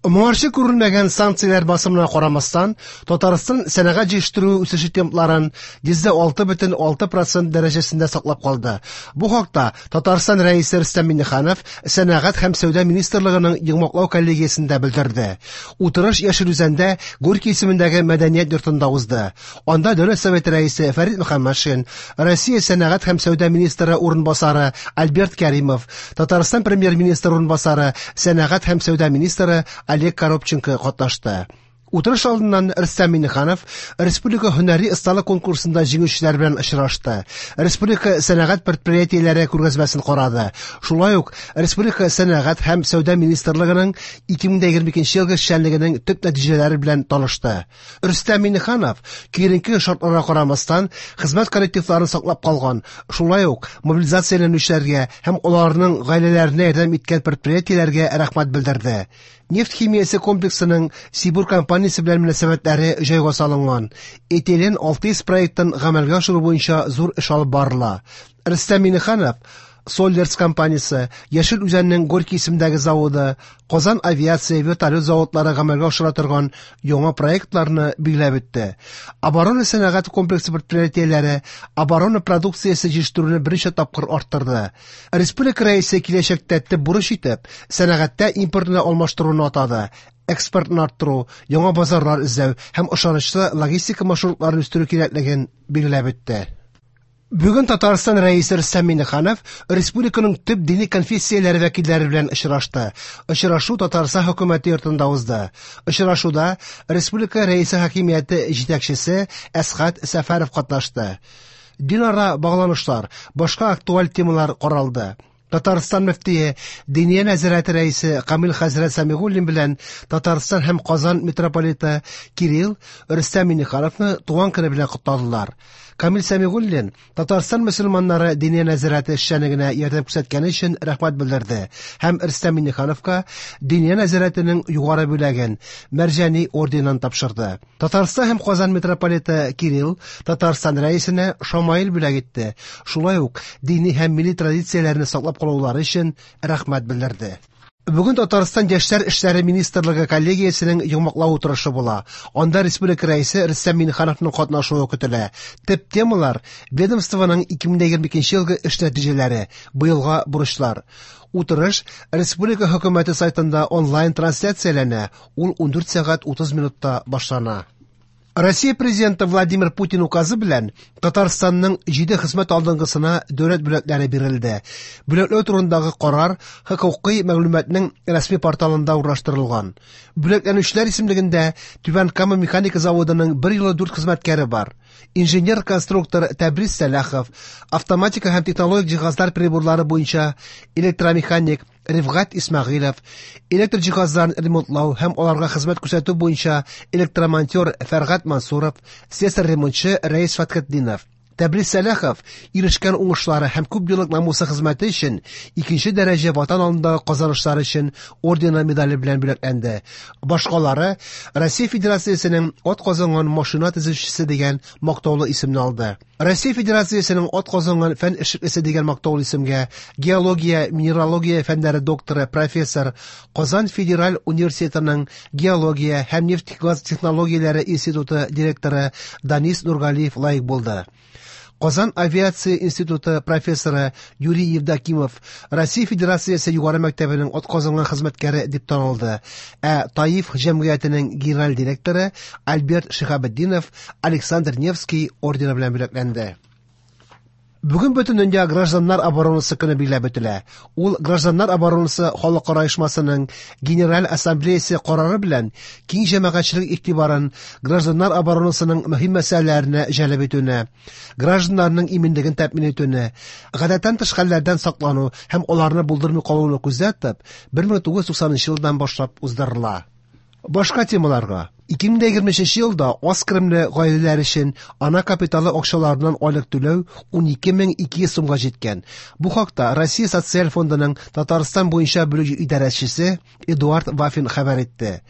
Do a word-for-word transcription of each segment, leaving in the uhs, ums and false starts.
Моңарчы күрелмәгән санкцияләр басымына карамастан, Татарстан сәнәгать җитештерүе үсеше темпларын йөздә алты бөтен алты процент дәрәҗәсендә саклап калды. Бу хакта Татарстан Рәисе Рөстәм Миңнеханов Сәнәгать һәм сәүдә министрлыгының йомгаклау коллегиясендә белдерде. Утырыш Яшел Үзәндә Горький исемендәге мәдәният йортында узды. Анда Дәүләт Советы Рәисе Фәрит Мөхәммәтшин, Россия сәнәгать һәм сәүдә министры урынбасары Альберт Кәримов, Татарстан премьер-министры урынбасары, сәнәгать һәм сәүдә министры Олег Коробченко катнашты. Утырыш алдыннан Рөстәм Миңнеханов республика һөнәри осталык конкурсында җиңүчеләр белән очрашты. Республика сәнәгать предприятиеләре күргәзмәсен карады. Шулай ук республика сәнәгать һәм сәүдә министрлыгының ике мең егерме икенче елгы эшчәнлегенең төп нәтиҗәләре белән танышты. Рөстәм Миңнеханов киеренке шартларга карамастан хезмәт коллективларын саклап калган, шулай ук мобилизацияләнүчеләргә һәм аларның гаиләләренә ярдәм иткән предприятиеләргә рәхмәт белдерде. Нефть химиясе комплексының Сибур компаниясе белән мөнәсәбәтләре җайга салынган. Этилен алты йөз проектын гамәлгә ашыру буенча зур эш алып барыла. Рөстәм Миңнеханов Соллерс компаниясе, Яшел Үзәннең Горький исемендәге заводы, Казан авиация вертолет заводлары гамәлгә ашыра торган яңа проектларны билгеләп үтте. Оборона сәнәгать комплексы предприятиеләре оборона продукциясе җитештерүне берничә тапкыр арттырды. Республика рәисе киләчәктә төп бурыч итеп сәнәгатьтә импортны алмаштыруны атады. Экспортны арттыру, яңа базарлар эзләү һәм ышанычлы логистика маршрутларын үстерү кирәклеген билгеләп үтте. Бүген Татарстан Рәисе Рөстәм Миңнеханов республиканың төп дини конфессияләре вәкилләре белән очрашты. Очрашу Татарстан хөкүмәте йортында узды. Очрашуда республика Рәисе хакимияте җитәкчесе Әсхәт Сәфәров катнашты. Динара багланышлар, башка актуаль темалар каралды. Татарстан мөфтие, Диния нәзарәте рәисе Камил хәзрәт Сәмигуллин белән Татарстан һәм Казан митрополиты Кирилл Рөстәм Миңнехановны туган көне белән котладылар. Камил Сәмигуллин Татарстан мөселманнары Диния нәзарәте эшчәнлегенә ярдәм күрсәткәне өчен рәхмәт белдерде һәм Рөстәм Миңнехановка Диния нәзарәтенең югары бүләген Мәрҗани орденын тапшырды. Татарстан һәм Казан митрополиты Кирилл Татарстан рәисенә Шамаил бүләк итте. Шулай ук дини һәм милли традицияләрне саклап калулары өчен рәхмәт белдерде. Бүген Татарстан Яшьләр эшләре министрлыгы коллегиясенең йомгаклау утырышы була. Анда республика рәисе Рөстәм Миңнехановның катнашуы көтелә. Төп темалар ведомствоның ике мең егерме икенче елгы эш нәтиҗәләре, быелга бурычлар. Утырыш республика хөкүмәте сайтында онлайн трансляцияләнә. Ул ундүрт сәгать утыз минутта башлана. Россия президенты Владимир Путин указы белән Татарстанның җиде хезмәт алдынгысына дәүләт бүләкләре бирелде. Бүләкләү турындагы карар хокукый мәгълүматның рәсми порталында урнаштырылган. Бүләкләнүчеләр исемлегендә Түбән Кама механика заводының бер юлы дүрт хезмәткәре бар. Инженер-конструктор Тәбрис Сәлахов, автоматика һәм технологик җиһазлар приборлары буенча электромеханик Рифгать Исмәгыйлов, электр җиһазларын ремонтлау һәм аларга хезмәт күрсәтү буенча электромонтер Фәргать Мансуров, слесарь-ремонтчы Рәис Фәтхетдинов. Тәбрис Сәлахов ирешкән уңышлары һәм күп еллык намуслы хезмәте өчен икенче дәрәҗә Ватан алдындагы казанышлары өчен ордены медале белән бүләкләнде. Башкалары Россия Федерациясенең ат казанган машина төзүчесе дигән мактаулы исемне алды. Россия Федерациясенең ат казанган фән эшлеклесе дигән мактаулы исемгә геология, минералогия фәннәре докторы, профессор, Казан Федераль университетының геология һәм нефть-газ технологияләре институты директоры Данис Нургалиев лаек булды. Казан авиация институты профессоры Юрий Евдокимов Россия Федерациясе югары мәктәбенең ат казанган хезмәткәре дип танылды. Ә Таиф җәмгыятенең генераль директоры Альберт Шиһабетдинов Александр Невский ордены белән бүләкләнде. Бүген бөтен дөнья гражданнар оборонасы көне билгеләп үтелә. Ул Гражданнар оборонасы халыкара оешмасының Генераль Ассамблеясы карары белән киң җәмәгатьчелек игътибарын гражданнар оборонасының мөһим мәсьәләләренә җәлеп итүне, гражданнарның иминлеген тәэмин итүне, гадәттән тыш хәлләрдән саклану һәм аларны булдырмый калуны күздә тотып, бер мең тугыз йөз туксанынчы елдан башлап уздырыла. Башка темаларга. ике мең егерме өченче елда аз керемле гаиләләр өчен ана капиталы акчаларыннан айлык түләү унике мең ике йөз сумга җиткән. Бу хакта Россия Социаль фондының Татарстан буенча бүлек идарәчесе Эдуард Вафин хәбәр итте.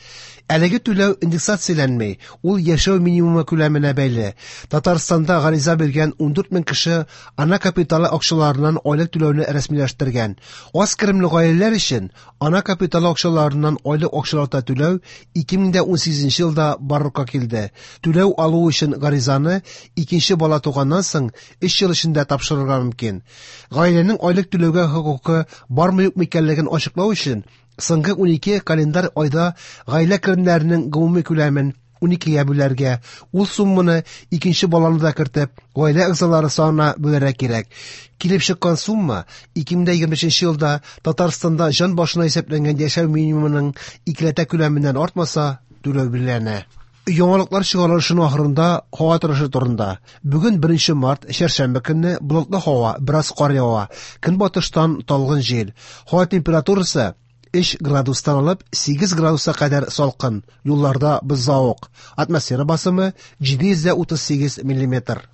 Әлеге түләү индексацияләнми, ул яшәү минимумы күләменә бәйле. Татарстанда гариза биргән ундүрт мең кеше ана капиталы акчаларыннан айлык түләүне рәсмиләштергән. Аз керемле гаиләләр өчен ана капиталы акчаларыннан айлык акчалата түләү ике мең унсигезенче елда барлыкка килде. Түләү алу өчен гаризаны икенче бала туганнан соң өч ел эчендә тапшырырга мөмкин. Гаиләнең айлык түләүгә хокукы бармы юкмы икәнлеген ачыклау өчен соңгы унике календарь айда гаилә керемнәренең гомуми күләмен уникегә бүләргә, ул сумманы икенче баланы да кертеп, гаилә әгъзалары санына бүләргә кирәк. Килеп чыккан сумма ике мең егерме өченче елда Татарстанда җан башына исәпләнгән яшәү минимумының икеләтә күләменнән артмаса, түләү билгеләнә. Яңалыклар чыгарылышының ахырында һава торышы турында. Бүген беренче март, чәршәмбе көнне болытлы һава, бераз кар ява. Көнбатыштан талгын җил. Һава температурасы өч градустан алып сигез градуска кадәр салкын. Юлларда бозлавык. Атмосфера басымы җиде йөз утыз сигез миллиметр.